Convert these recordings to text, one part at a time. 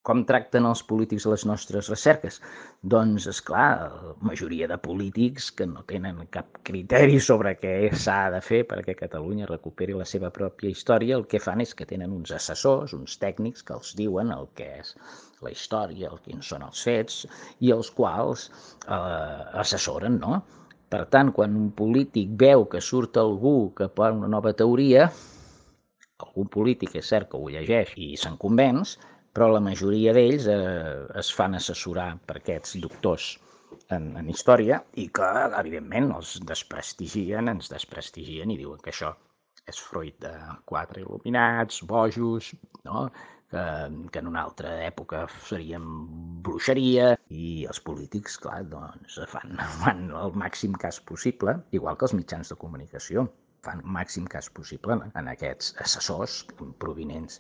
Com tracten els polítics les nostres recerques? Doncs, és clar, la majoria de polítics que no tenen cap criteri sobre què s'ha de fer perquè Catalunya recuperi la seva pròpia història, el que fan és que tenen uns assessors, uns tècnics que els diuen el que és la història, quins són els fets, i els quals assessoren, no? Per tant, quan un polític veu que surt algú que pot una nova teoria, algun polític és cert que ho llegeix i se'n convenç, però la majoria d'ells es fan assessorar per aquests doctors en història i que, evidentment, els desprestigien, ens desprestigien i diuen que això és fruit de quatre il·luminats, bojos, no? que en una altra època serien bruixeria, i els polítics, clar, doncs fan el màxim cas possible, igual que els mitjans de comunicació fan màxim cas possible en aquests assessors provinents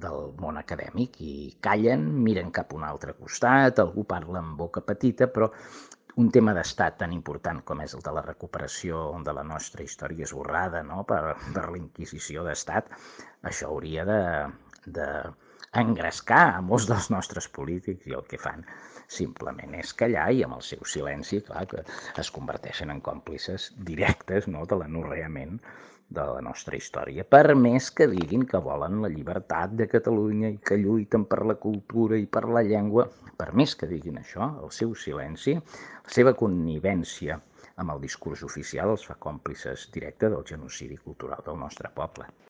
del món acadèmic i callen, miren cap a un altre costat, algú parla amb boca petita, però un tema d'estat tan important com és el de la recuperació de la nostra història esborrada, no? per la Inquisició d'Estat, això hauria de engrescar a molts dels nostres polítics i el que fan simplement és callar i amb el seu silenci, clar, que es converteixen en còmplices directes, no?, de l'anorreament de la nostra història, per més que diguin que volen la llibertat de Catalunya i que lluiten per la cultura i per la llengua, per més que diguin això, el seu silenci, la seva connivència amb el discurs oficial els fa còmplices directes del genocidi cultural del nostre poble.